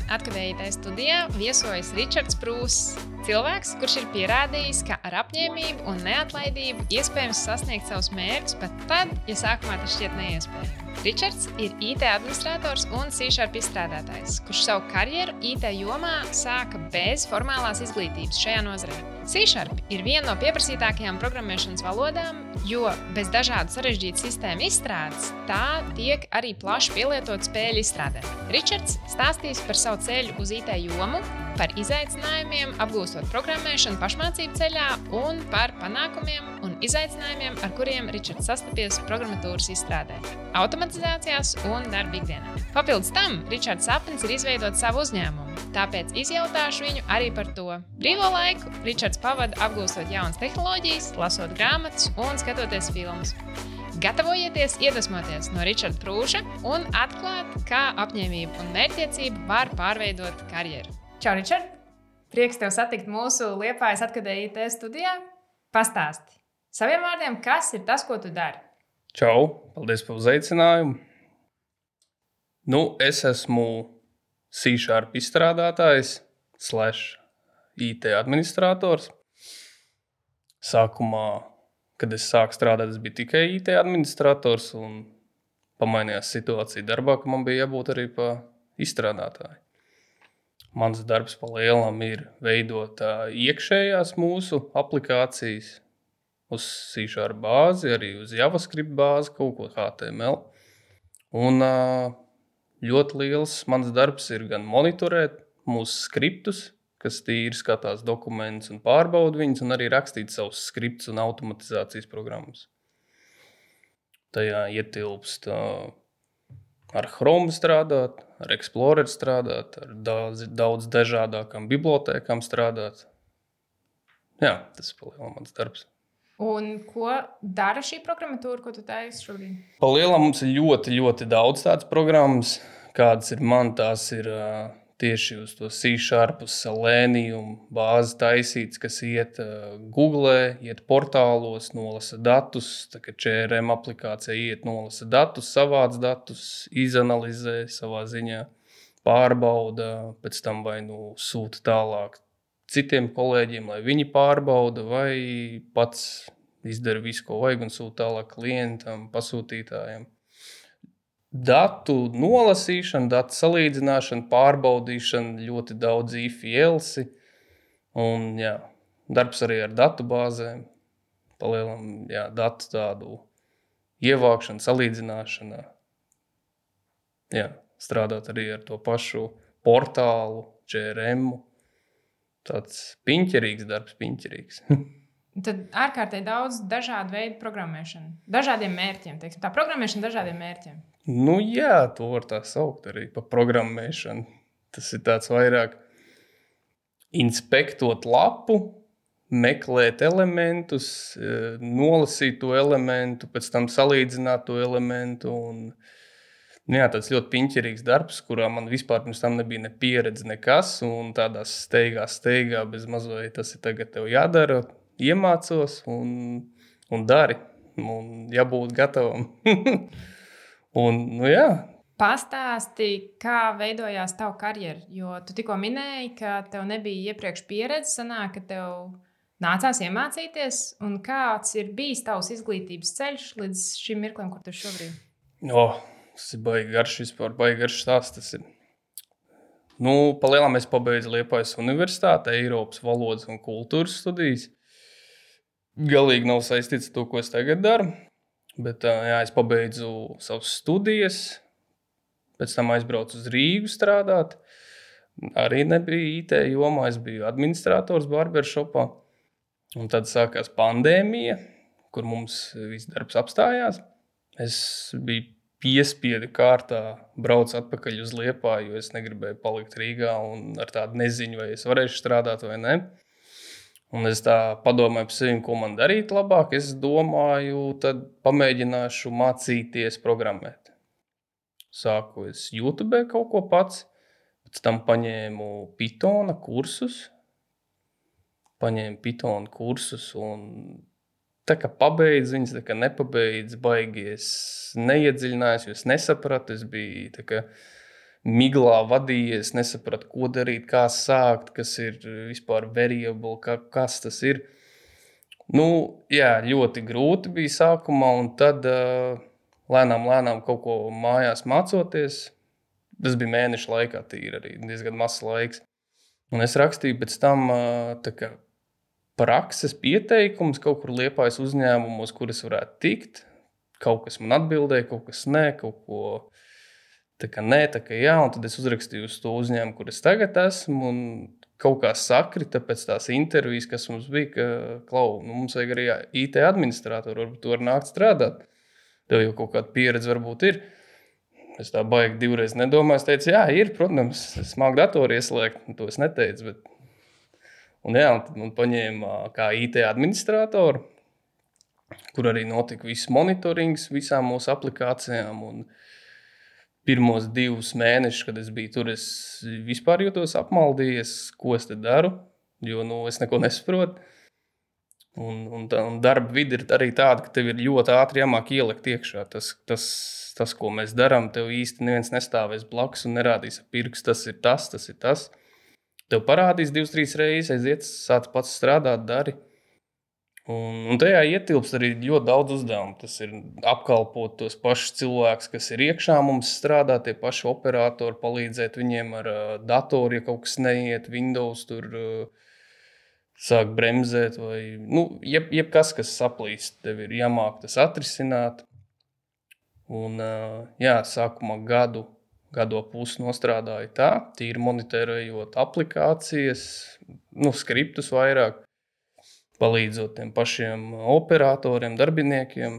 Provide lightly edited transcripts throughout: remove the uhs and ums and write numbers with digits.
Atkadēji IT studijā viesojas Ričards Prūss, cilvēks, kurš ir pierādījis, ka ar apņēmību un neatlaidību iespējams sasniegt savus mērķus pat tad, ja sākumā tas šķiet neiespējami. Ričards ir IT administrators un C# izstrādātājs, kurš savu karjeru IT jomā sāka bez formālās izglītības šajā nozarē. C# ir viena no pieprasītākajām programmēšanas valodām, jo bez dažādu sarežģītu sistēmu izstrādes tā tiek arī plaši pielietot spēļu izstrādē. Ričards stāstīs par savu ceļu uz IT jomu, par izaicinājumiem, apgūstot programmēšanu pašmācību ceļā un par panākumiem un izaicinājumiem, ar kuriem Ričards sastapies programmatūras izstrādē, automatizācijās un darba ikdienā. Papildus tam, Ričards sapnis ir izveidot savu uzņēmumu, tāpēc izjautāšu viņu arī par to. Brīvo laiku Ričards pavada apgūstot jaunas tehnoloģijas, lasot grāmatas un skatoties filmas. Gatavojieties iedvesmoties no Ričarda Prūša un atklāt, kā apņēmība un mērķtiecība var pārveidot karjeru. Čau, Ričard! Prieks tev satikt mūsu Liepājas Atkadēji IT studijā. Pastāsti saviem vārdiem, kas ir tas, ko tu dari? Čau! Paldies par uzaicinājumu! Es esmu C# izstrādātājs / IT administrators. Sākumā, kad es sāku strādāt, es biju tikai IT administrators un pamainījās situācija darbā, ka man bija jābūt arī pa izstrādātāju. Mans darbs pa lielam ir veidot iekšējās mūsu aplikācijas uz C# bāzi, arī uz JavaScript bāzi, kaut ko HTML. Un ļoti liels mans darbs ir gan monitorēt mūsu skriptus, kas tīri skatās dokumentus un pārbauda viņus, un arī rakstīt savus skriptus un automatizācijas programmas. Tajā ietilpst ar Chrome strādāt, ar Explorer strādāt, ar daudz dažādākām bibliotēkām strādāt. Jā, tas ir palielam mans darbs. Un ko dara šī programmatūra, ko tu taisi šobrīd? Palielam mums ir ļoti, ļoti daudz tādas programmas. Kādas ir man, tās ir tieši uz to C# uz Selenium bāzi taisīts, kas iet Google, iet portālos, nolasa datus, tā kā CRM aplikācija iet, nolasa datus, savāc datus, izanalizē savā ziņā, pārbauda, pēc tam vai sūta tālāk citiem kolēģiem, lai viņi pārbauda, vai pats izdara visu, ko vajag un sūta tālāk klientam, pasūtītājiem. Datu nolasīšana, datu salīdzināšana, pārbaudīšana, ļoti daudz if-else. Un darbs arī ar datu bāzēm. Palielam, datu tādu ievākšana, salīdzināšana. Strādāt arī ar to pašu portālu, CRM. Tāds piņķerīgs darbs, piņķerīgs. Tad ārkārtīgi daudz dažādu veidu programmēšana. Dažādiem mērķiem, teiksim. Tā programmēšana dažādiem mērķiem. To var tā saukt arī par programmēšanu. Tas ir tāds vairāk inspektot lapu, meklēt elementus, nolasīt to elementu, pēc tam salīdzināt to elementu. Tāds ļoti piņķerīgs darbs, kurā man vispār pirms tam nebija ne pieredze, nekas. Un tādā steigā bez mazliet tas ir tagad tev jādara, iemācos un dari. Un jābūt gatavam. Pastāsti, kā veidojās tava karjera, jo tu tikko minēji, ka tev nebija iepriekš pieredze, sanāk, ka tev nācās iemācīties, un kāds ir bijis tavs izglītības ceļš līdz šim mirklim, kur tu šobrīd? Tas ir baigi garš stāsts. Tas ir. Palielam es pabeidzu Liepājas universitāti, Eiropas valodas un kultūras studijas. Galīgi nav saistīts ar to, ko es tagad daru. Bet es pabeidzu savas studijas, pēc tam aizbraucu uz Rīgu strādāt. Arī nebija IT jomā, es biju administrators barbershopā. Un tad sākās pandēmija, kur mums viss darbs apstājās. Es biju piespiedu kārtā braucu atpakaļ uz Liepāju, jo es negribēju palikt Rīgā un ar tādu neziņu, vai es varēšu strādāt vai ne. Un es tā padomāju par sevi, ko man darīt labāk. Es domāju, tad pamēģināšu mācīties programmēt. Sāku es YouTube kaut ko pats, pēc tam paņēmu Pythona kursus. Un tā kā pabeidzu viņas, tā kā nepabeidzu, baigi es neiedziļinājos, jo es nesapratu. Es biju tā kā miglā vadījies, nesapratu, ko darīt, kā sākt, kas ir vispār variable, kas tas ir. Nu, jā, ļoti grūti bija sākumā, un tad lēnām kaut ko mājās mācoties. Tas bija mēneša laikā tīri arī, diezgan mazs laiks. Un es rakstīju pēc tam tā kā prakses pieteikums kaut kur Liepājas uzņēmumos, kur es varētu tikt. Kaut kas man atbildēja, kaut kas nē, kaut ko tā kā nē, tā kā jā. Un tad es uzrakstīju uz to uzņēmumu, kur es tagad esmu, un kaut kā sakrita pēc tās intervijas, kas mums bija, ka, klau, mums vajag arī IT administratoru, varbūt tu vari nākt strādāt. Tev jau kaut kāda pieredze varbūt ir. Es tā baigi divreiz nedomāju. Es teicu, jā, ir, protams, es māku datoru ieslēgt. To es neteicu, bet... Un jā, un tad man paņēma kā IT administratoru, kur arī notika viss monitorings visām mūsu aplikācijām. Un pirmos 2 mēnešus, kad es biju tur, es vispār jūtos apmaldījies, ko es te daru, jo es neko nesaprotu. Un darba vide ir arī tāda, ka tev ir ļoti ātri jāmāk ielikt iekšā. Tas, ko mēs darām, tev īsti neviens nestāvēs blakus un nerādīs ar pirkstu, tas ir tas. Tev parādīs 2-3 reizes, aiziet, sāc pats strādāt, dari. Un tajā ietilpst arī ļoti daudz uzdevumu. Tas ir apkalpot tos pašus cilvēkus, kas ir iekšā mums strādā, tie paši operatori, palīdzēt viņiem ar datoru, ja kaut kas neiet, Windows tur sāk bremzēt vai jebkas, kas saplīst, tev ir jāmāk tas atrisināt. Un jā, sākumā gadu pusi nostrādāju tā, tīri monitorējot aplikācijas, skriptus vairāk, palīdzot tiem pašiem operatoriem, darbiniekiem.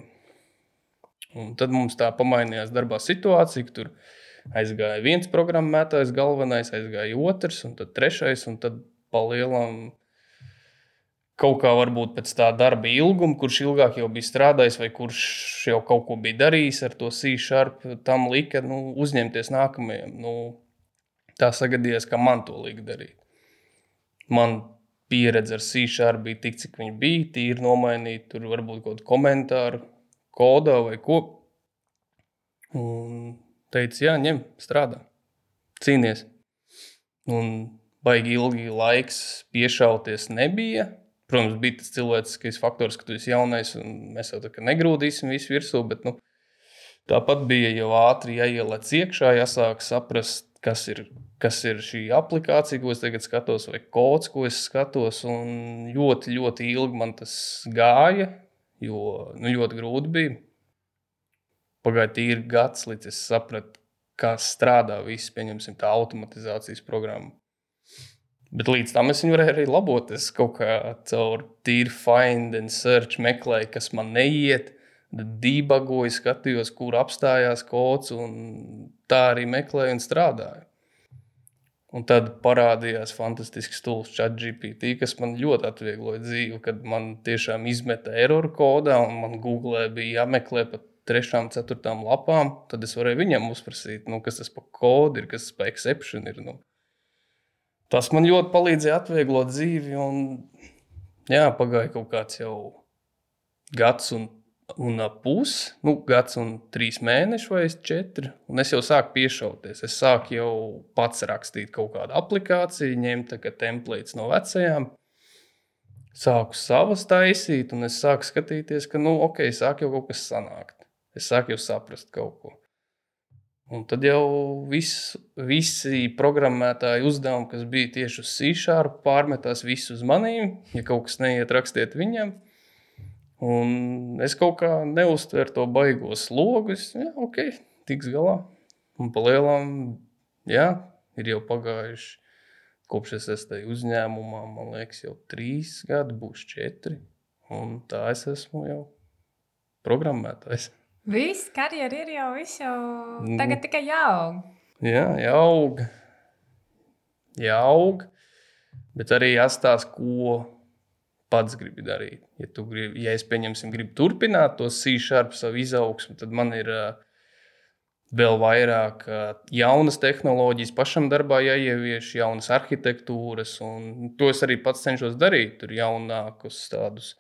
Un tad mums tā pamainījās darbā situācija, ka tur aizgāja viens programmētājs galvenais, aizgāja otrs, un tad trešais, un tad palielam kaut kā varbūt pēc tā darba ilguma, kurš ilgāk jau bija strādājis vai kurš jau kaut ko bija darījis ar to C#, tam lika uzņemties nākamajam. Tā sagadījās, ka man to lika darīt. Man pieredze ar C# bija tik, cik viņa bija, tīri nomainīt, tur varbūt kaut komentāru, kodā vai ko. Un teica, jā, ņem, strādā, cīnies. Un baigi ilgi laiks piešauties nebija. Protams, bija tas cilvēciskais faktors, ka tu esi jaunais un mēs jau tā kā negrūdīsim visu virsū, bet tāpat bija jau ātri jāielēc iekšā, jāsāk saprast, kas ir šī aplikācija, ko es tagad skatos, vai kods, ko es skatos. Un ļoti, ļoti ilgi man tas gāja, jo ļoti grūti bija. Pagāja tīri gads, līdz es sapratu, kā strādā viss, pieņemsim, tā automatizācijas programma. Bet līdz tam es viņu varēju arī labot. Es kaut kā caur tīri find and search meklēju, kas man neiet, debugoju, skatījos, kur apstājās kods, un tā arī meklēju un strādāju. Un tad parādījās fantastisks tools ChatGPT, kas man ļoti atviegloja dzīvi, kad man tiešām izmeta eroru kodā, un man Googlē bija jāmeklē pat 3. 4. lapām. Tad es varēju viņam uzprasīt, kas tas pa kodu ir, kas tas pa exception ir. Tas man ļoti palīdzēja atvieglot dzīvi, un jā, pagāja kaut kāds jau gads un pusi, gads un 3 mēneši vai 4, un es jau sāku piešauties. Es sāku jau pats rakstīt kaut kādu aplikāciju, ņemt templates no vecajām, sāku savas taisīt, un es sāku skatīties, ka, sāk jau kaut kas sanākt. Es sāku jau saprast kaut ko. Un tad jau visi programmētāji uzdevumi, kas bija tieši uz C#, pārmetās visu uz manīm. Ja kaut kas neiet, rakstiet viņam. Un es kaut kā neuztveru to baigo slogu. Tiks galā. Un palielam, jā, ir jau pagājuši, kopš es esmu tajā uzņēmumā, man liekas, jau 3 gadi, būs 4. Un tā es esmu jau programmētājs. Viss karjera ir jau tagad tikai jāaug. Jā, jāaug, bet arī jāstāsta, ko pats gribi darīt. Ja es, gribu turpināt to C# savu izaugsmu, tad man ir vēl vairāk jaunas tehnoloģijas pašam darbā jāievieš, jaunas arhitektūras, un to es arī pats cenšos darīt. Tur jaunākus tādus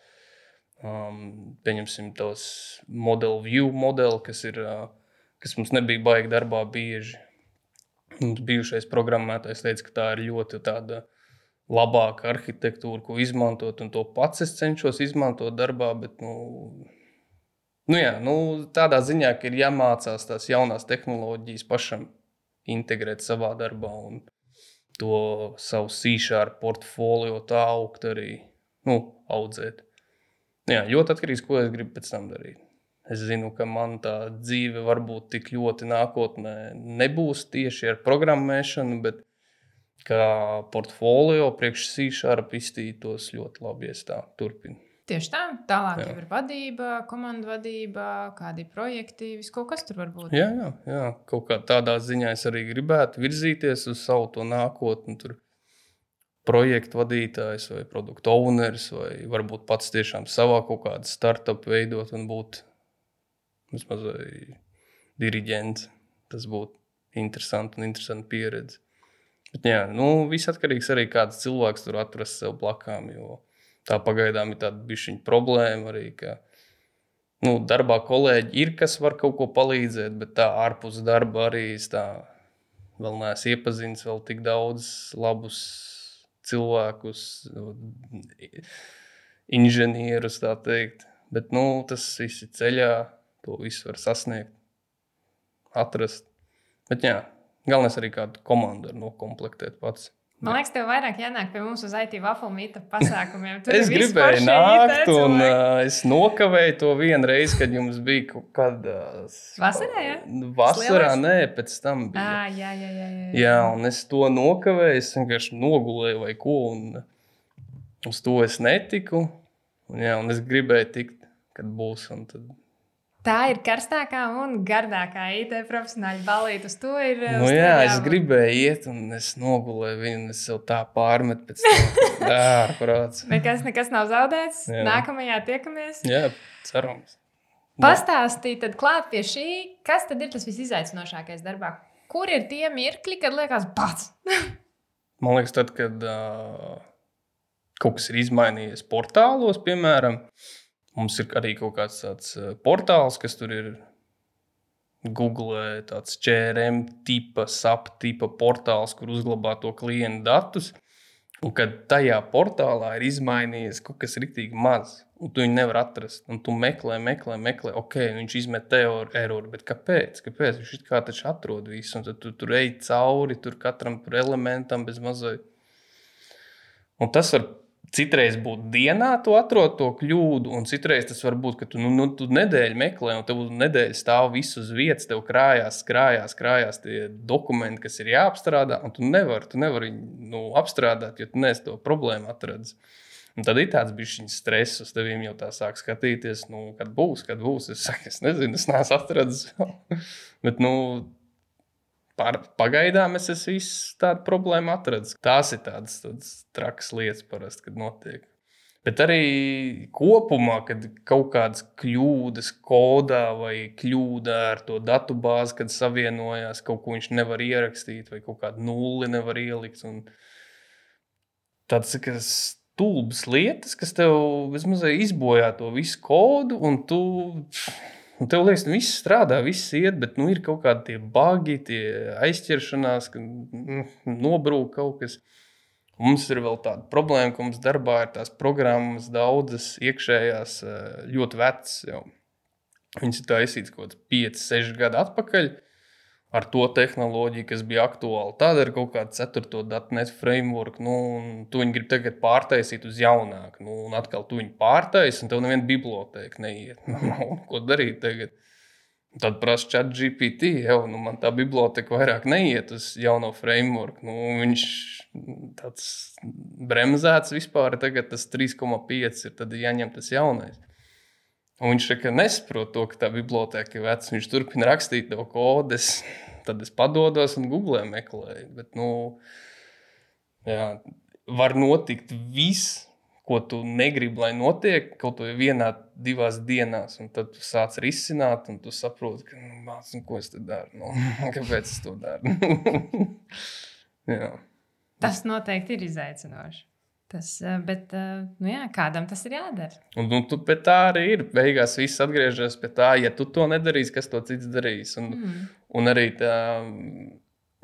pieņemsim tos model view modeli, kas mums nebija baigi darbā bieži. Mums bijušais programmētājs teica, ka tā ir ļoti tāda labāka arhitektūra, ko izmantot, un to pats es cenšos izmantot darbā, bet, tādā ziņā, ka ir jāmācās tās jaunās tehnoloģijas pašam integrēt savā darbā un to savu C# portfolio tā augt arī, audzēt. Jā, ļoti atkarīgs, ko es gribu pēc tam darīt. Es zinu, ka man tā dzīve varbūt tik ļoti nākotnē nebūs tieši ar programmēšanu, bet kā portfolio priekš C# iztītos ļoti labi, ja es tā turpinu. Tieši tā, tālāk jau ir vadība, komandu vadība, kādi projekti, viss kaut kas tur var būt. Jā, kaut kā tādā ziņā es arī gribētu virzīties uz savu to nākotni, tur projektu vadītājs vai produktu owneris, vai varbūt pats tiešām savā kaut kādu startup veidot un būt vismaz diriģents. Tas būtu interesanti un interesanti pieredze. Bet jā, viss atkarīgs arī kāds cilvēks tur atrast sev blakām, jo tā pagaidām ir tāda bišķiņa problēma arī, ka darbā kolēģi ir, kas var kaut ko palīdzēt, bet tā ārpus darba arī es tā vēl neesmu iepazinis vēl tik daudz labus cilvēkus, inženierus, tā teikt. Bet, tas viss ir ceļā, to visu var sasniegt, atrast. Bet jā, galvenais arī kādu komandu nokomplektēt pats. Man liekas, tev vairāk jānāk pie mums uz IT Waffle Meetup pasākumiem. Es gribēju nākt, un es nokavēju to vienu reizi, kad jums bija kaut kāda... Vasarā, jā? Vasarā, nē, pēc tam bija. Jā. Jā, un es to nokavēju, es vienkārši nogulēju vai ko, un uz to es netiku. Un es gribēju tikt, kad būs, un tad... Tā ir karstākā un gardākā IT profesionāļa balīte. Uz to ir... es gribēju iet, un es nogulēju viņu, un es sev tā pārmetu pēc tam. Ārprāts. Nekas nav zaudēts. Jā. Nākamajā tiekamies. Jā, cerams. Pastāstīj tad klāt pie šī, kas tad ir tas visizaicinošākais darbā? Kur ir tie mirkļi, kad liekas pats? Man liekas, tad, kad kaut kas ir izmainījies portālos, piemēram, mums ir arī kaut kāds tāds portāls, kas tur ir Google, tāds CRM tipa, SAP tipa portāls, kur uzglabā to klientu datus. Un kad tajā portālā ir izmainījies kaut kas riktīgi maz, un tu viņu nevar atrast, un tu meklē, ok, viņš izmet error, bet kāpēc? Viņš it kā taču atrod visu, un tad tu tur ej cauri, tur katram tur elementam bez mazai. Un tas var citreiz būt dienā, tu atrod to kļūdu, un citreiz tas var būt, ka tu nedēļu meklē, un tev nedēļu stāv visu uz vietas, tev krājās tie dokumenti, kas ir jāapstrādā, un tu nevari viņu apstrādāt, jo tu neesi to problēmu atradis. Un tad ir tāds bišķiņas stress, uz tevīm jau tā sāk skatīties, kad būs. Es saku, es nezinu, es neesmu atradis vēl. Bet, pagaidām es esmu visu tādu problēmu atradis. Tās ir tādas trakas lietas parasti, kad notiek. Bet arī kopumā, kad kaut kādas kļūdas kodā vai kļūda ar to datubāzi, kad savienojās, kaut ko viņš nevar ierakstīt vai kaut kādu nulli nevar ielikt. Un tāds stulbas lietas, kas tev vismaz izbojā to visu kodu, un tev liekas, viss strādā, viss iet, bet ir kaut kādi tie bagi, tie aizķeršanās, ka nobrūk kaut kas. Mums ir vēl tāda problēma, ka mums darbā ir tās programmas daudzas iekšējās ļoti vecas jau. Viņas ir taisītas kaut kāds 5-6 gadu atpakaļ ar to tehnoloģiju, kas bija aktuāla. Tāda ir kaut kāda 4. .NET framework, un tu viņu grib tagad pārtaisīt uz jaunāku. Un atkal tu viņu pārtaisi, un tev neviena bibliotēka neiet. Ko darīt tagad? Tad prasa ChatGPT, man tā biblioteka vairāk neiet uz jauno framework. Viņš tāds bremzēts vispār, tagad tas 3,5 ir, tad jāņem tas jaunais. Un viņš nesaprot to, ka tā biblioteka ir veca. Viņš turpina rakstīt to kodu, tad es padodos un Googlē meklēju. Bet, var notikt viss, ko tu negribi, lai notiek, kaut vai 1-2 dienās. Un tad tu sāc risināt, un tu saproti, ka, ko es te daru? Kāpēc es to daru? Jā. Tas noteikti ir izaicinoši. Bet kādam tas ir jādara? Un tu pēc tā arī ir. Beigās viss atgriežas pie tā, ja tu to nedarīsi, kas to cits darīs. Un arī tā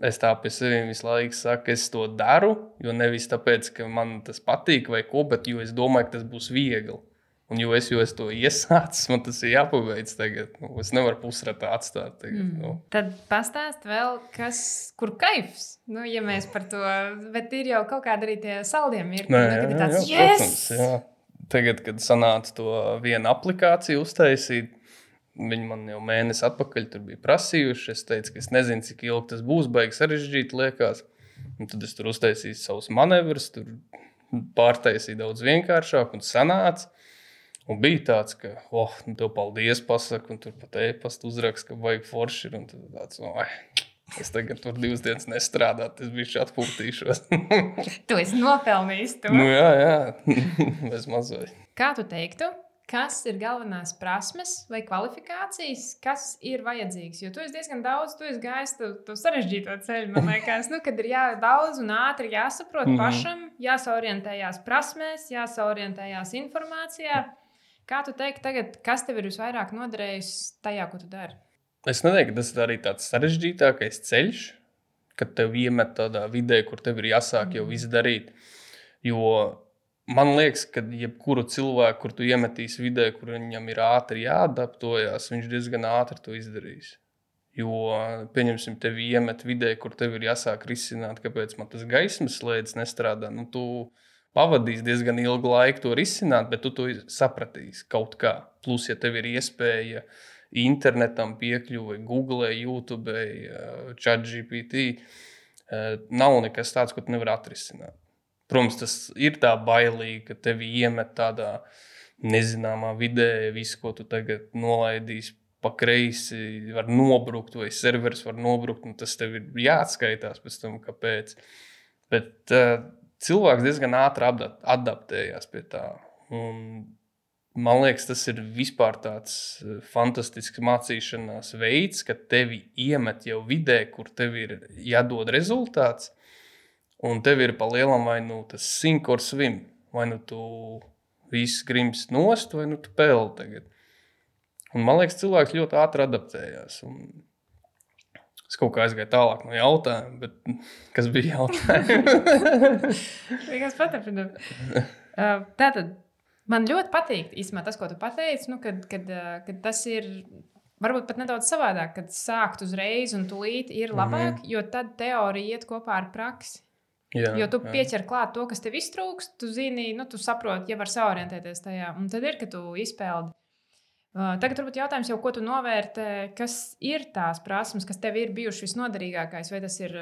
es tā pie sevis visu laiku saku, es to daru, jo nevis tāpēc, ka man tas patīk vai ko, bet jo es domāju, ka tas būs viegli. Un jo es to iesācis, man tas ir jāpabeidz tagad. Es nevaru pusratā atstāt tagad. Tad pastāst vēl, kur kaifs. Ja mēs par to, bet ir jau kaut kāda arī tie saldie mirkļi. Kad ir tāds, protams, jā. Tagad, kad sanāca to vienu aplikāciju uztaisīt, viņi man jau mēnesi atpakaļ tur bija prasījuši. Es teicu, ka es nezinu, cik ilgi tas būs, baigi sarežģīti liekas. Un tad es tur uztaisīju savus manevrus, tur pārtaisīju daudz vienkāršāk un sanāca. Un bija tāds, ka, tev paldies pasaku, un tur pat e-pastu uzrakst, ka vajag forši ir. Un tad tāds, es tagad tur 2 dienas nestrādāt, es bišķi atpūtīšos. Tu esi nopelnījis to. Jā, bez mazai. Kā tu teiktu, kas ir galvenās prasmes vai kvalifikācijas, kas ir vajadzīgs? Jo tu esi diezgan daudz, tu esi gājis to sarežģīto ceļu, man liekas, kad ir daudz un ātri jāsaprot pašam, jāsaorientējās prasmēs, jāsaorientējās informācijā. Kā tu teiktu tagad, kas tev ir visvairāk noderējis tajā, ko tu dari? Es neteiktu, ka tas ir arī tāds sarežģītākais ceļš, kad tev iemet tādā vidē, kur tev ir jāsāk jau viss darīt. Jo man liekas, ka jebkuru cilvēku, kur tu iemetīsi vidē, kur viņam ir ātri jāadaptojas, viņš diezgan ātri to izdarīs. Jo, pieņemsim, tevi iemet vidē, kur tev ir jāsāk risināt, kāpēc man tas gaismas slēdz nestrādā. Tu pavadīs diezgan ilgu laiku to risināt, bet tu to sapratīsi kaut kā. Plus, ja tev ir iespēja internetam piekļuvi, Google, YouTube, ChatGPT, nav nekas tāds, ko tu nevar atrisināt. Protams, tas ir tā bailīgi, ka tevi iemet tādā nezināmā vidē, visu, ko tu tagad nolaidīsi pa kreisi, var nobrukt vai serveris var nobrukt, un tas tev ir jāatskaitās pēc tam, kāpēc. Bet cilvēks diezgan ātri adaptējās pie tā. Un man liekas, tas ir vispār tāds fantastisks mācīšanās veids, ka tevi iemet jau vidē, kur tev ir jādod rezultāts, un tev ir pa lielam vai tas sink or swim, vai tu viss grims nost, vai tu peldi tagad. Un man liekas, cilvēks ļoti ātri adaptējās. Un es kaut kā aizgāju tālāk no jautājuma, bet kas bija jautājums? Vienkārši paturpinām. Tātad man ļoti patīk īstenībā tas, ko tu pateici, kad tas ir varbūt pat nedaudz savādāk, kad sākt uzreiz un tūlīt ir labāk, jo tad teorija iet kopā ar praksi. Jā, jo tu pieķer klāt to, kas tev iztrūkst, tu zini, tu saproti, ja var saorientēties tajā. Un tad ir, ka tu izpeldi. Tagad varbūt jautājums jau, ko tu novērtē, kas ir tās prasmes, kas tev ir bijušas visnoderīgākais, vai tas ir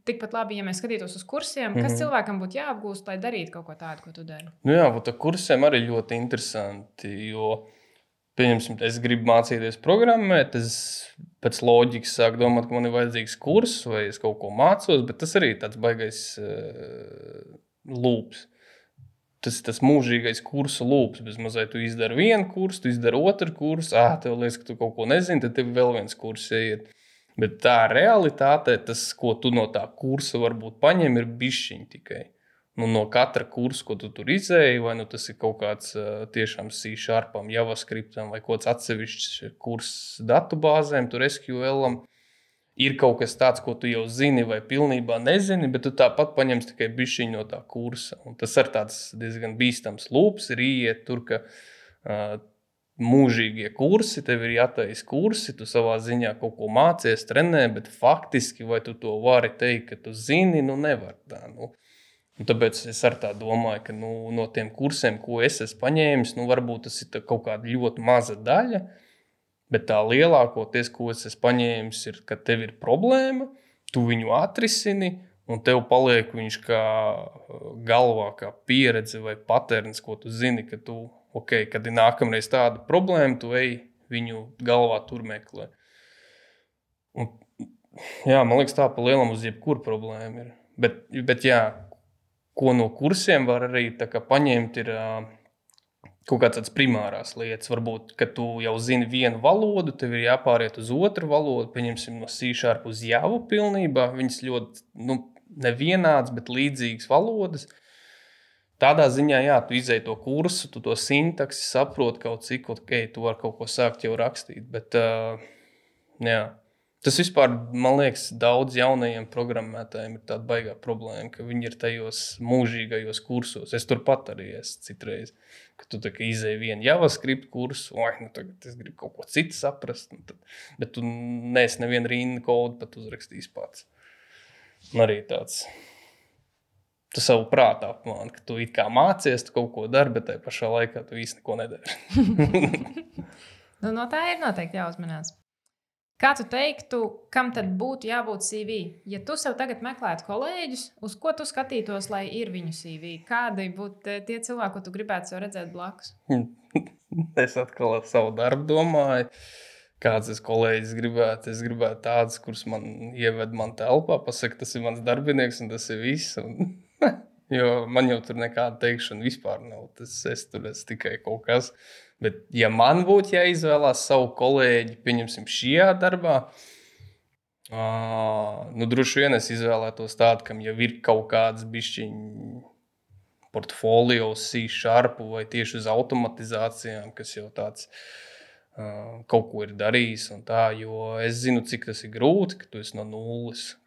tikpat labi, ja mēs skatītos uz kursiem, kas cilvēkam būtu jāapgūst, lai darītu kaut ko tādu, ko tu dari? Jā, ar kursiem arī ļoti interesanti, jo, pieņemsim, es gribu mācīties programmēt, es pēc loģikas sāku domāt, ka man ir vajadzīgs kurs, vai es kaut ko mācos, bet tas arī tāds baigais lūps. Tas mūžīgais kursu lūps. Bez mazai tu izdari vienu kursu, tu izdari otru kursu, tev liekas, ka tu kaut ko nezini, tad tev vēl viens kurs iet. Bet tā realitāte, tas, ko tu no tā kursa varbūt paņem, ir bišķiņ tikai. No katra kursa, ko tu tur izēji, vai tas ir kaut kāds tiešām C-sharpam, JavaScriptam vai kaut kāds atsevišķs kurs datubāzēm, tur SQLam. Ir kaut kas tāds, ko tu jau zini vai pilnībā nezini, bet tu tāpat paņemsi tikai bišķiņu no tā kursa. Un tas ir tāds diezgan bīstams lūps, ir iet tur, ka mūžīgie kursi, tev ir jātais kursi, tu savā ziņā kaut ko mācies, trenē, bet faktiski vai tu to vari teikt, ka tu zini, nevar tā. Un tāpēc es ar tā domāju, ka no tiem kursiem, ko es esmu paņēmis, varbūt tas ir kaut kāda ļoti maza daļa, bet tā lielākoties, ko es esmu paņēmis, ir, ka tev ir problēma, tu viņu atrisini, un tev paliek viņš kā galvā, kā pieredze vai paterns, ko tu zini, ka tu, kad ir nākamreiz tāda problēma, tu ej viņu galvā tur meklē. Un, jā, man liekas, tā pa lielam uz jebkuru problēmu ir. Bet jā, ko no kursiem var arī tā kā paņemt, ir kaut kāds tāds primārās lietas. Varbūt, ka tu jau zini vienu valodu, tev ir jāpāriet uz otru valodu, pieņemsim no C# uz Javu pilnībā. Viņas ļoti, nevienāds, bet līdzīgas valodas. Tādā ziņā, jā, tu izēji to kursu, tu to sintaksi saproti kaut cik, tu vari kaut ko sākt jau rakstīt. Bet, jā, Tas vispār, man liekas, daudz jaunajiem programmētājiem ir tāda baigā problēma, ka viņi ir tajos mūžīgajos kursos. Es turpat arī esmu citreiz, ka tu tā kā izēji vienu JavaScript kursu, tagad es gribu kaut ko citu saprast, bet tu neesi nevienu rindu kodu pat uzrakstījis pats. Un arī tāds, tu savu prātā apmāni, ka tu it kā mācies, tu kaut ko dari, bet tajā pašā laikā tu īsti neko nedari. No tā ir noteikti jāuzmanās. Kā tu teiktu, kam tad būtu jābūt CV? Ja tu sev tagad meklētu kolēģus, uz ko tu skatītos, lai ir viņu CV? Kādi būtu tie cilvēki, ko tu gribētu sev redzēt blakus? Es atkal ar savu darbu domāju, kāds es kolēģis gribētu. Es gribētu tādus, kurus man ieved man telpā, pasaka, tas ir mans darbinieks un tas ir viss. Jo man jau tur nekāda teikšana vispār nav. Es tur esmu tikai kaut kas. Bet, ja man būtu jāizvēlās savu kolēģi, pieņemsim, šajā darbā, droši vien es izvēlētos tādu, kam jau ir kaut kāds bišķiņ portfolio, C# vai tieši uz automatizācijām, kas jau tāds kaut ko ir darījis. Tā, jo es zinu, cik tas ir grūti, ka tu esi no nulles,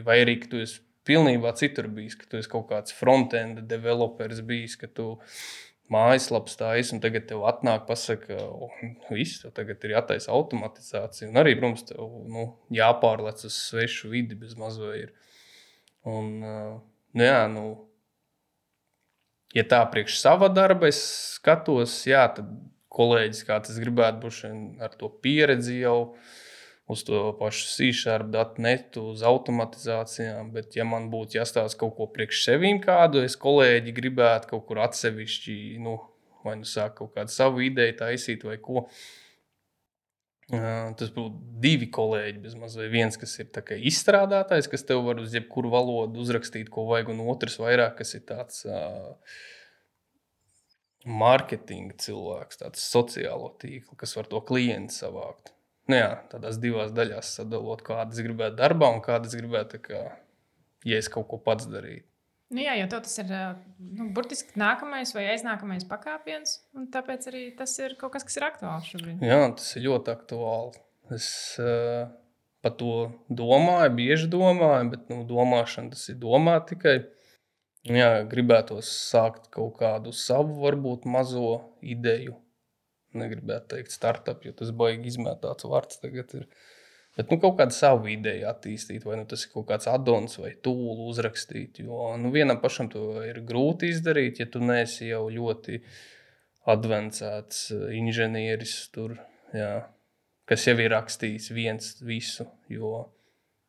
vai arī ka tu esi pilnībā citur bijis, ka tu esi kaut kāds front-end developers bijis, ka tu mājaslaps taisa, un tagad tev atnāk, pasaka, viss, tev tagad ir jātaisa automatizācija. Un arī, protams, tev jāpārlec uz svešu vidi bez mazo ir. Un, ja tā priekš sava darba es skatos, tad kolēģis, kāds es gribētu būt ar to pieredzi jau, uz to pašu C#, uz automatizācijām, bet ja man būtu jāstāsta kaut ko priekš sevīm kādu, es kolēģi gribētu kaut kur atsevišķi, vai sāk kaut kādu savu ideju taisīt vai ko. Tas būtu 2 kolēģi bez maz, vai viens, kas ir tā kā izstrādātājs, kas tev var uz jebkuru valodu uzrakstīt, ko vajag, un otrs vairāk, kas ir tāds marketinga cilvēks, tāds sociālo tīklu, kas var to klientu savākt. Tādās 2 daļās sadalot, kādas gribētu darbā un kādas gribētu, ja es kaut ko pats darītu. Jo tas ir burtiski nākamais vai aiznākamais pakāpiens, un tāpēc arī tas ir kaut kas ir aktuāls šobrīd. Jā, tas ir ļoti aktuāli. Es par to domāju, bieži domāju, bet domāšana tas ir domāt tikai. Gribētos sākt kaut kādu savu, varbūt mazo ideju. Negribētu teikt startup, jo tas baigi izmētāts vārds tagad ir. Bet kaut kādu savu ideju attīstīt, vai tas ir kaut kāds addons vai tūlu uzrakstīt. Jo vienam pašam to ir grūti izdarīt, ja tu neesi jau ļoti advancēts inženieris tur, kas jau ir rakstījis viens visu. Jo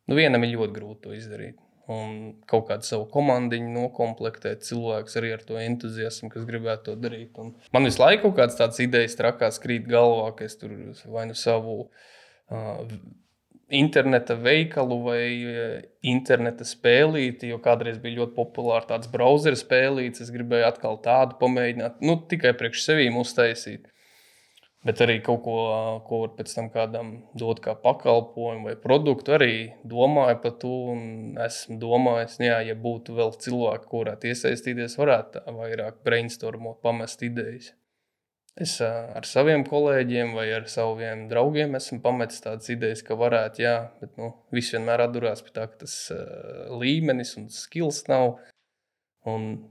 vienam ir ļoti grūti to izdarīt. Un kaut kādu savu komandiņu nokomplektēt cilvēkus arī ar to entuziasmu, kas gribētu to darīt. Un man visu laiku kaut kādas tādas idejas trakās krīt galvā, ka es tur vai savu interneta veikalu vai interneta spēlīti, jo kādreiz bija ļoti populāri tāds browser spēlīts, es gribēju atkal tādu pamēģināt, tikai priekš sevīm uztaisīt. Bet arī kaut ko var pēc tam kādam dot kā pakalpojumu vai produktu, arī domāju par to. Un esmu domājis, ja būtu vēl cilvēki, kurāt iesaistīties, varētu tā vairāk brainstormot, pamest idejas. Es ar saviem kolēģiem vai ar saviem draugiem esmu pametis tādas idejas, ka varētu, bet viss vienmēr atdurās pie tā, ka tas līmenis un skills nav. Un,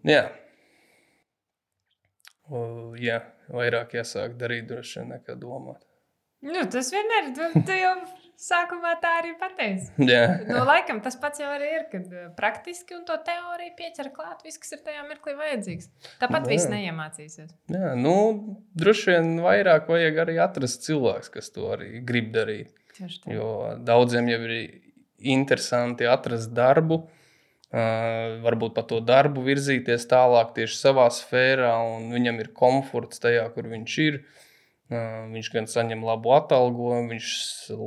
vairāk jāsāk darīt droši vien nekā domāt. Tas vienmēr, tu jau sākumā tā arī pateici. Laikam tas pats jau arī ir, kad praktiski un to teoriju pieķer klāt viss, kas ir tajā mirklī vajadzīgs. Tāpat viss neiemācīsies. Droši vien vairāk vajag arī atrast cilvēks, kas to arī grib darīt. Jo daudziem jau ir interesanti atrast darbu, varbūt par to darbu virzīties tālāk tieši savā sfērā, un viņam ir komforts tajā, kur viņš ir. Viņš gan saņem labu atalgojumu, viņš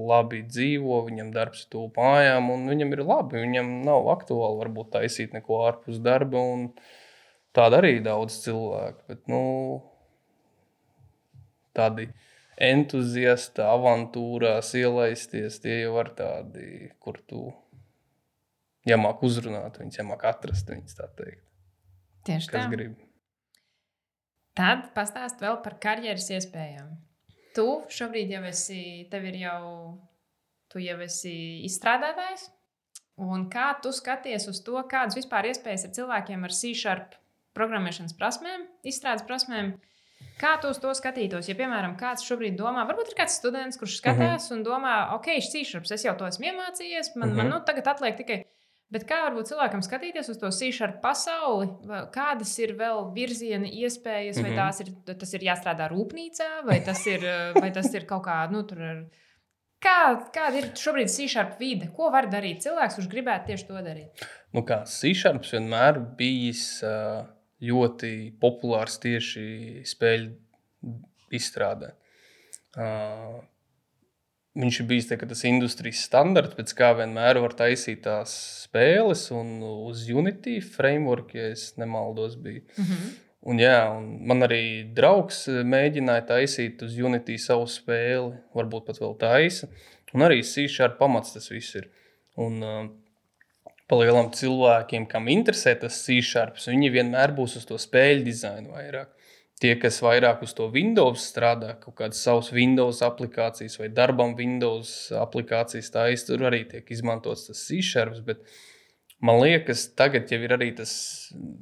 labi dzīvo, viņam darbs tuvu mājām, un viņam ir labi. Viņam nav aktuāli varbūt taisīt neko ārpus darba, un tāda arī daudz cilvēku. Bet, tādi entuziasti, avantūrās ielaisties, tie jau var tādi, kur tu jāmāk uzrunāt viņus, jāmāk atrast viņus, tā teikt. Tieši tā. Kas grib. Tad pastāst vēl par karjeras iespējām. Tu šobrīd jau esi, tev ir jau, tu jau esi izstrādātājs. Un kā tu skaties uz to, kādas vispār iespējas ir cilvēkiem ar C# programmēšanas prasmēm, izstrādes prasmēm? Kā tu uz to skatītos? Ja, piemēram, kāds šobrīd domā, varbūt ir kāds students, kurš skatās un domā, ok, C#, es jau to esmu iemācījies, man tagad atliek tikai. Bet kā varbūt cilvēkam skatīties uz to C# pasauli? Kādas ir vēl virziena iespējas, vai tas ir jāstrādā rūpnīcā, vai tas ir kaut kā, tur ar... Kāda ir šobrīd C# vide? Ko var darīt cilvēks, kurš gribētu tieši to darīt? C# vienmēr bijis ļoti populārs tieši spēļu izstrādē. Viņš ir bijis tas industrijas standarts, pēc kā vienmēr var taisīt tās spēles, un uz Unity framework, ja es nemaldos, bija. Un man arī draugs mēģināja taisīt uz Unity savu spēli, varbūt pat vēl taisa. Un arī C# pamats tas viss ir. Un palielam cilvēkiem, kam interesē tas C#, viņi vienmēr būs uz to spēļu dizainu vairāk. Tie, kas vairāk uz to Windows strādā, kaut kādas savas Windows aplikācijas vai darbam Windows aplikācijas taisa, tur arī tiek izmantots tas C#, bet man liekas, tagad jau ir arī tas,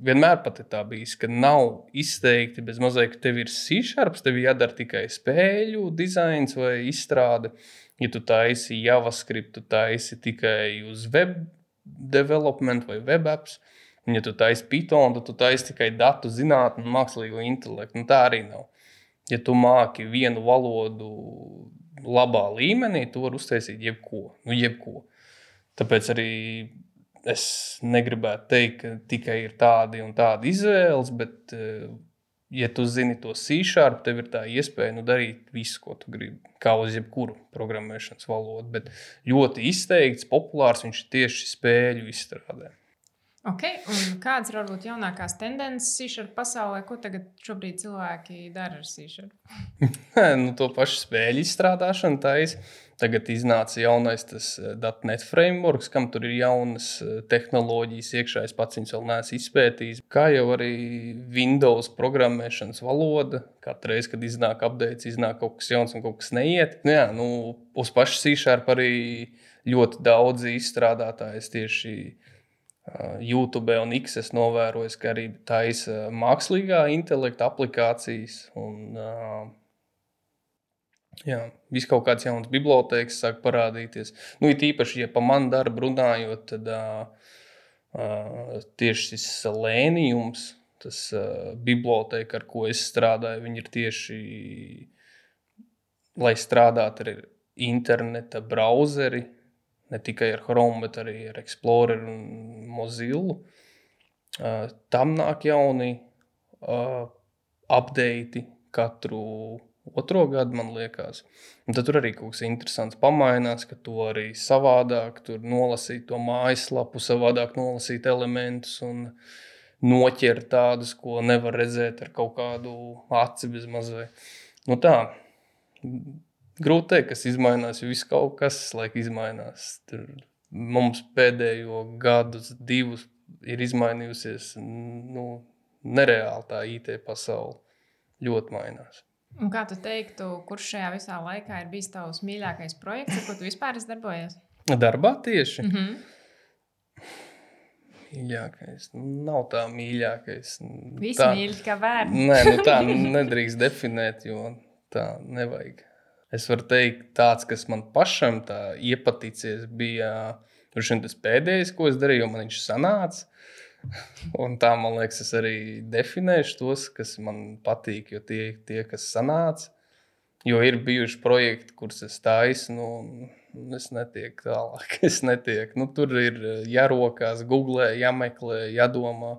vienmēr pat ir tā bijis, ka nav izteikti bez mazliet, ka tev ir C#, tev jādara tikai spēļu dizains vai izstrāde. Ja tu taisi JavaScript, tu taisi tikai uz web development vai web apps. Un ja tu taisi Python, tad tu taisi tikai datu zinātni un mākslīgo intelektu. Tā arī nav. Ja tu māki vienu valodu labā līmenī, tu vari uztaisīt jebko. Tāpēc arī es negribētu teikt, ka tikai ir tādi un tādi izvēles, bet, ja tu zini to C#, tev ir tā iespēja darīt visu, ko tu gribi, kā uz jebkuru programmēšanas valodu. Bet ļoti izteikts, populārs viņš tieši spēļu izstrādē. Ok, un kādas ir varbūt jaunākās tendences C# pasaulē? Ko tagad šobrīd cilvēki dara ar C#? To pašu spēļu izstrādāšanu taisa. Tagad iznāca jaunais tas .NET frameworks, kam tur ir jaunas tehnoloģijas iekšā. Es pats viņus vēl neesmu izpētījis. Kā jau arī Windows programmēšanas valoda. Katru reizi, kad iznāk updates, iznāk kaut kas jauns un kaut kas neiet. Uz pašu C# arī ļoti daudzi izstrādātāji tieši YouTube un X es novēroju, ka arī taisa mākslīgā intelekta aplikācijas un viss kaut kāds jauns bibliotēkas sāk parādīties. It īpaši, ja pa manu darbu runājot, tad tieši šis Seleniums, tas bibliotēka, ar ko es strādāju, viņi ir tieši, lai strādātu ar interneta brauzeri, ne tikai ar Chrome, bet arī ar Explorer un Mozilla. Tam nāk jauni updati katru otro gadu, man liekas. Un tad tur arī kaut kas interesants pamainās, ka to arī savādāk tur nolasīt to mājaslapu, savādāk nolasīt elementus un noķert tādus, ko nevar redzēt ar kaut kādu aci bez mazai. Tā, grūti teikt, kas izmainās, jo viss kaut kas laik izmainās. Tur mums pēdējo gadus, 2 ir izmainījusies, nereāli tā IT pasaule ļoti mainās. Un kā tu teiktu, kurš šajā visā laikā ir bijis tavs mīļākais projekts, ar ko tu vispār esi darbojies? Darbā tieši? Mīļākais? Nav tā mīļākais. Visi mīļi, kā bērni. Nē, tā nedrīkst definēt, jo tā nevajag. Es varu teikt, tāds, kas man pašam tā iepaticies, bija tas pēdējais, ko es darīju, jo man viņš sanāca. Un tā, man liekas, es arī definēšu tos, kas man patīk, jo tie kas sanāca. Jo ir bijuši projekti, kurus es taisu, es netieku tālāk. Tur ir jārokās, googlē, jāmeklē, jādomā.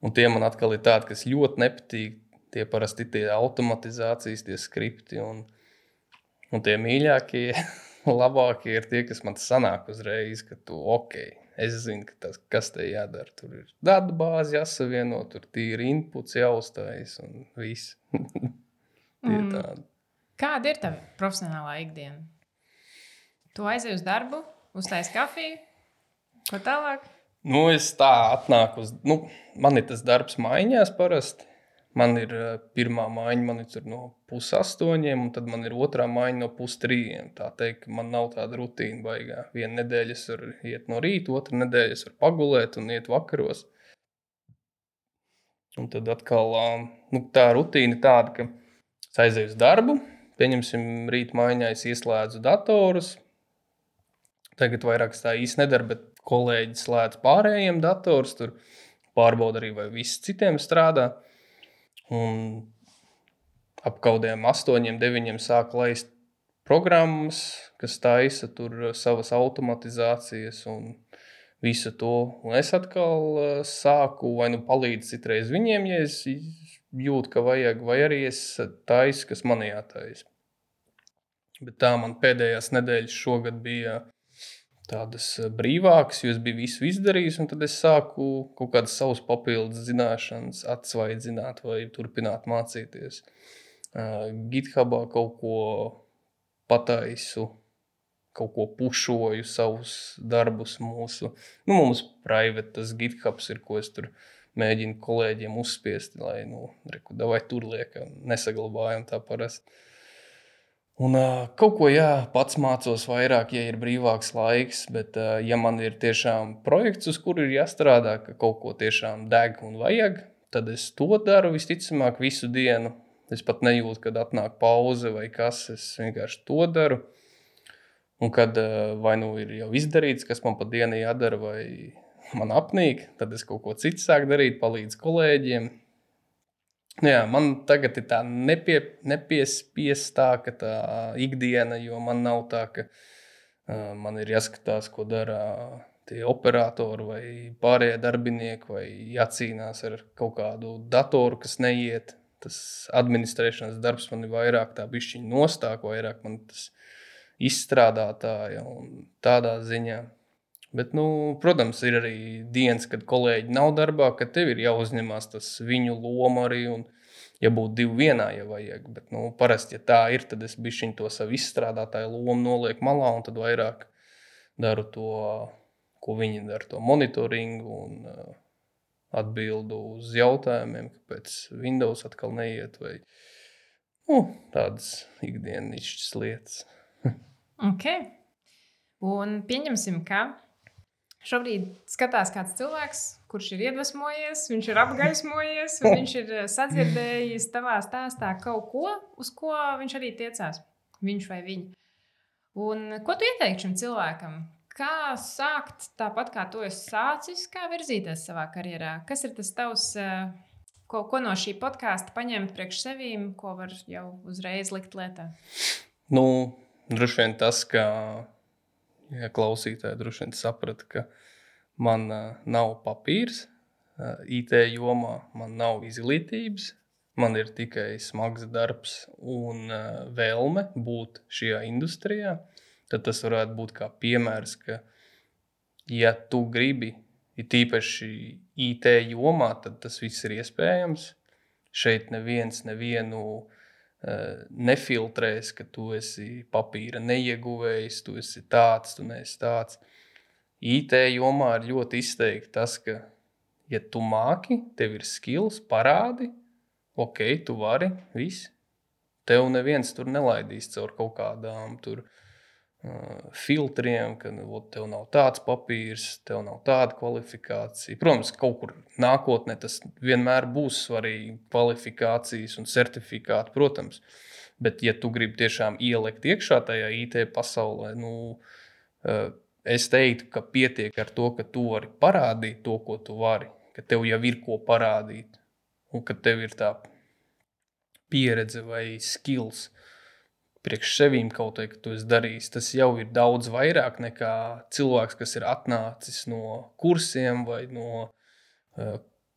Un tie man atkal ir tādi, kas ļoti nepatīk. Tie parasti tie automatizācijas, tie skripti. Un tie mīļākie, labākie ir tie, kas man sanāk uzreiz, ka tu es zinu, kas te jādara. Tur ir datu bāzi jāsavieno, tur tīri inputs jāuztais un viss. Kāda ir tava profesionālā ikdiena? Tu aizej uz darbu, uztais kafiju, ko tālāk? Es tā atnāku man ir tas darbs maiņās parasti. Man ir pirmā maiņa, man ir tur no 7:30, un tad man ir otrā maiņa no 2:30. Tā teikt, man nav tāda rutīna baigā. Vienu nedēļu es varu iet no rīta, otru nedēļu es varu pagulēt un iet vakaros. Un tad atkal tā rutīna tāda, ka es aizēju uz darbu, pieņemsim rīt maiņā, es ieslēdzu datorus. Tagad vairāk tā īsti nedara, bet kolēģi slēdz pārējiem datorus, tur pārbauda arī, vai viss citiem strādā. Un ap kaudiem 8, 9 sāk laist programmas, kas taisa tur savas automatizācijas un visu to. Un es atkal sāku vai nu palīdzu citreiz viņiem, ja es jūtu, ka vajag, vai arī es taisu, kas man jātaisa. Bet tā man pēdējās nedēļas šogad bija tādas brīvākas, jo es biju visu izdarījis, un tad es sāku kaut kādas savas papildus zināšanas atsvaidzināt vai turpināt mācīties. GitHubā kaut ko pataisu, kaut ko pušoju, savus darbus mūsu. Mums private tas GitHubs ir, ko es tur mēģinu kolēģiem uzspiest, lai, davai tur liekam, nesaglabājam tā parasti. Un kaut ko, pats mācos vairāk, ja ir brīvāks laiks, bet ja man ir tiešām projekts, uz kuru ir jāstrādā, ka kaut ko tiešām deg un vajag, tad es to daru visticamāk visu dienu. Es pat nejūtu, kad atnāk pauze vai kas, es vienkārši to daru. Un kad vai ir jau izdarīts, kas man pa dienu jādara vai man apnīk, tad es kaut ko citu sāku darīt, palīdzu kolēģiem. Jā, man tagad ir tā nepiespiest tā, ka tā ikdiena, jo man nav tā, ka man ir jāskatās, ko dara tie operatori vai pārējie darbinieki, vai jācīnās ar kaut kādu datoru, kas neiet. Tas administrēšanas darbs man ir vairāk tā bišķiņa nostāk, vairāk man tas izstrādātāja un tādā ziņā. Bet, protams, ir arī dienas, kad kolēģi nav darbā, kad tev ir jāuzņemās tas viņu loma arī, un ja būtu 2 vienā, ja vajag. Bet, parasti, ja tā ir, tad es bišķiņ to savu izstrādātāju lomu nolieku malā, un tad vairāk daru to, ko viņi dara, to monitoringu un atbildu uz jautājumiem, kāpēc Windows atkal neiet, vai tādas ikdienišķas lietas. Ok. Un pieņemsim, ka šobrīd skatās kāds cilvēks, kurš ir iedvesmojies, viņš ir apgaismojies, un viņš ir sadzirdējis tavā stāstā kaut ko, uz ko viņš arī tiecās, viņš vai viņa. Un ko tu ieteiktu šim cilvēkam? Kā sākt tāpat, kā tu esi sācis, kā virzīties savā karjerā? Kas ir tas tavs, ko no šī podkāsta paņemt priekš sevīm, ko var jau uzreiz likt lietā? Droši vien tas, ka klausītāji droši vien saprata, ka man nav papīrs IT jomā, man nav izglītības, man ir tikai smags darbs un vēlme būt šajā industrijā. Tad tas varētu būt kā piemērs, ka ja tu gribi, ir tīpaši IT jomā, tad tas viss ir iespējams. Šeit neviens nevienu nefiltrēs, ka tu esi papīra neieguvējs, tu esi tāds, tu neesi tāds. IT jomā ir ļoti izteikti tas, ka, ja tu māki, tev ir skills, parādi, ok, tu vari, viss. Tev neviens tur nelaidīs caur kaut kādām tur filtriem, ka tev nav tāds papīrs, tev nav tāda kvalifikācija. Protams, kaut kur nākotnē tas vienmēr būs svarīgi, kvalifikācijas un certifikāti, protams. Bet, ja tu gribi tiešām ielikt iekšā tajā IT pasaulē, es teiktu, ka pietiek ar to, ka tu vari parādīt to, ko tu vari, ka tev jau ir ko parādīt un ka tev ir tā pieredze vai skills priekš sevīm kaut vai, ka tu esi darījis, tas jau ir daudz vairāk nekā cilvēks, kas ir atnācis no kursiem vai no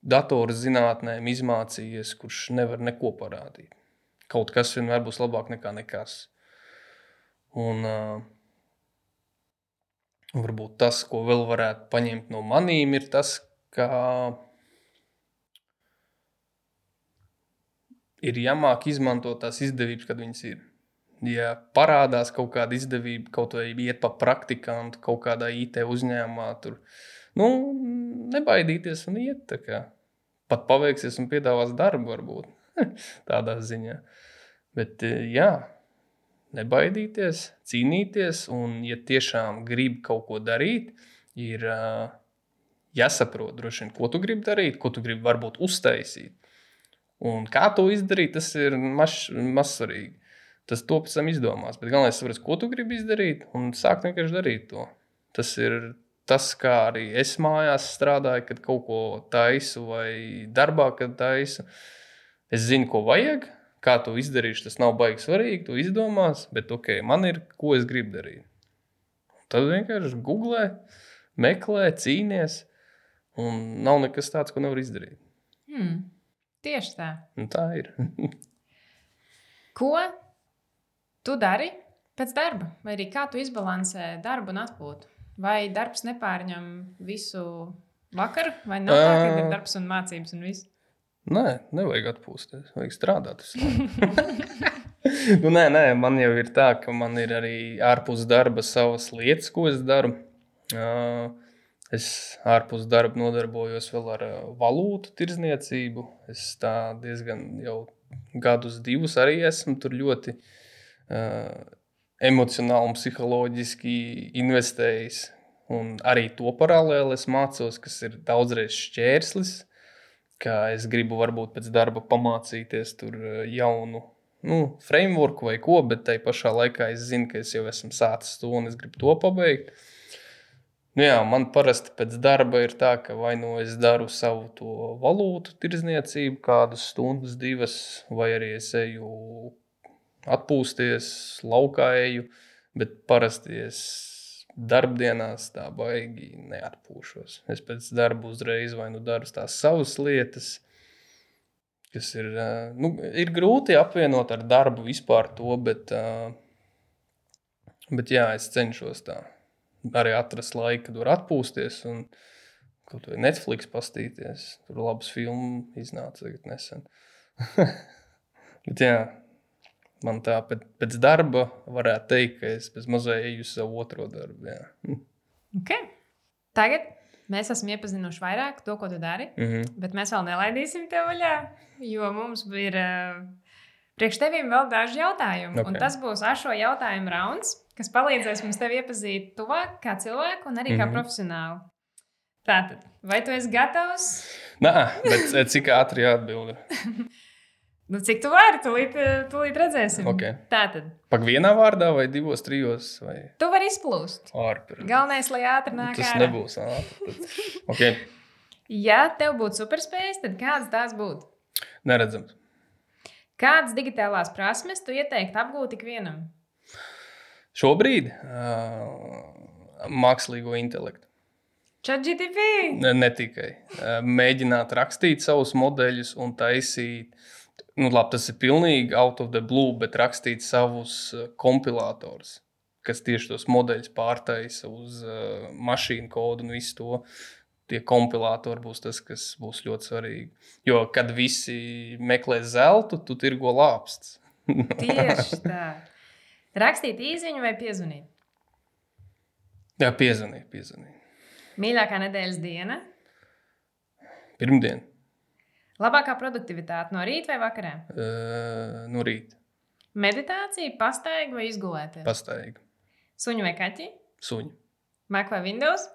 datoru zinātnēm izmācījies, kurš nevar neko parādīt. Kaut kas vienmēr būs labāk nekā nekas. Un varbūt tas, ko vēl varētu paņemt no manīm, ir tas, ka ir jāmāk izmantot tās izdevības, kad viņas ir. Ja parādās kaut kāda izdevība, kaut vai iet pa praktikantu kaut kādā IT uzņēmumā, tur, nebaidīties un iet tā kā. pat paveiksies un piedāvās darbu varbūt tādā ziņā. Bet jā, nebaidīties, cīnīties, un ja tiešām grib kaut ko darīt, ir jāsaprot droši vien, ko tu gribi darīt, ko tu gribi varbūt uztaisīt. Un kā to izdarīt, tas ir mazsvarīgi. Tas to pēc tam izdomās. Bet galvenais ir, ko tu gribi izdarīt, un sākt vienkārši darīt to. Tas ir tas, kā arī es mājās strādāju, kad kaut ko taisu vai darbā, kad taisu. Es zinu, ko vajag, kā to izdarīšu, tas nav baigi svarīgi, to izdomās, bet ok, man ir, ko es gribu darīt. Tad vienkārši googlē, meklē, cīnies, un nav nekas tāds, ko nevar izdarīt. Tieši tā. Un tā ir. Ko tu dari pēc darba? Vai arī kā tu izbalansē darbu un atpūtu? Vai darbs nepārņem visu vakaru? Vai nav tā, ka ir darbs un mācības un viss? Nē, nevajag atpūsties. Vajag strādāt. Nē, man jau ir tā, ka man ir arī ārpus darba savas lietas, ko es daru. Es ārpus darba nodarbojos vēl ar valūtu tirdzniecību. Es tā diezgan jau gadus 2 arī esmu tur ļoti emocionāli un psiholoģiski investējis. Un arī to paralēli es mācos, kas ir daudzreiz šķērslis, ka es gribu varbūt pēc darba pamācīties tur jaunu frameworku vai ko, bet tai pašā laikā es zinu, ka es jau esmu sācis to un es gribu to pabeigt. Jā, man parasti pēc darba ir tā, ka vai nu es daru savu to valūtu tirdzniecību kādas stundas, 2, vai arī es eju atpūsties, laukā eju, bet parasti es darbdienās tā baigi neatpūšos. Es pēc darba uzreiz vai nu daru tās savas lietas, kas ir, ir grūti apvienot ar darbu vispār to, bet jā, es cenšos tā. Arī atrast laiku, kad var atpūsties un kaut vai Netflix pastīties. Tur labas filmu iznāca tagad nesen. Bet jā, man tā pēc darba varētu teikt, ka es bez mazai eju savu otro darbu. Jā. Okay. Tagad mēs esam iepazinuši vairāk to, ko tu dari, bet mēs vēl nelaidīsim tev vaļā, jo mums ir priekš tevīm vēl daži jautājumi. Okay. Un tas būs šo jautājumu rauns, kas palīdzēs mums tevi iepazīt tuvāk kā cilvēku un arī kā profesionāli. Tātad, vai tu esi gatavs? Nē, bet cik ātri jāatbild? Cik tu vari, tūlīt redzēsim. Okay. Tātad. Pak vienā vārdā vai 2, 3? Vai... Tu vari izplūst. Galvenais, lai ātri nāk tas ārā. Nebūs ātri. Okay. Ja tev būtu superspējas, tad kādas tās būtu? Neredzams. Kādas digitālās prasmes tu ieteiktu apgūt ikvienam? Šobrīd mākslīgo intelektu. ChatGPT? Ne tikai. Mēģināt rakstīt savus modeļus un taisīt, tas ir pilnīgi out of the blue, bet rakstīt savus kompilātors, kas tieši tos modeļus pārtaisa uz mašīnu kodu un visu to. Tie kompilātori būs tas, kas būs ļoti svarīgi. Jo, kad visi meklē zeltu, tu tirgo lāpstus. Tieši tā. Rakstīt īziņu vai piezvanīt? Jā, piezvanīt. Mīļākā nedēļas diena? Pirmdiena. Labākā produktivitāte no rīta vai vakarā? No rīta. Meditācija, pastaiga vai izgulēties? Pastaiga. Suņu vai kaķi? Suņu. Mac vai Windows?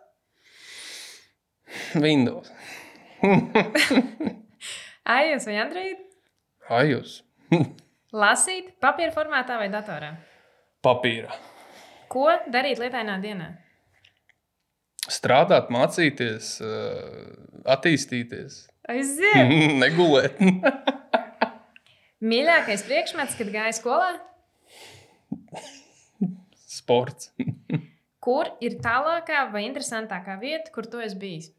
Windows. iOS vai Android? iOS. Lasīt papīra formātā vai datorā? Papīra. Ko darīt lietainā dienā? Strādāt, mācīties, attīstīties. Aiziet! Negulēt. Mīļākais priekšmets, kad gāja skolā? Sports. Kur ir tālākā vai interesantākā vieta, kur tu esi bijis?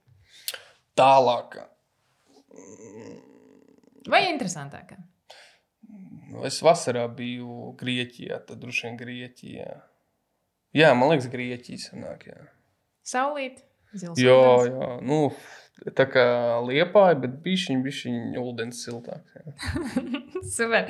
Tālākā. Vai interesantākā? Es vasarā biju Grieķijā, tad droši vien Grieķijā. Jā, man liekas, Grieķija sanāk, jā. Saulīt, zils. Jā. Tā kā Liepāja, bet bišķiņ ūdens siltāks. Super.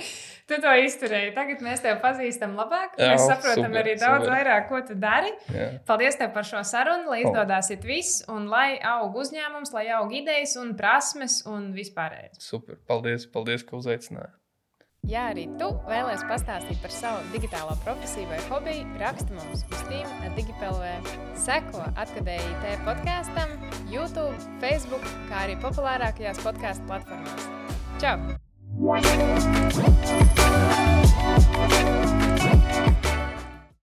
Tu to izturēji. Tagad mēs tevi pazīstam labāk. Mēs saprotam arī daudz vairāk, ko tu dari. Jā. Paldies tev par šo sarunu, lai izdodās viss, un lai aug uzņēmums, lai aug idejas un prasmes un vispārējais. Super. Paldies, ka uzaicināji. Ja arī tu vēlies pastāstīt par savu digitālo profesiju vai hobiju, raksti mums uz team@digipelv. Seko Atkadēji IT podkastam, YouTube, Facebook, kā arī populārākajās podcastu platformās. Čau!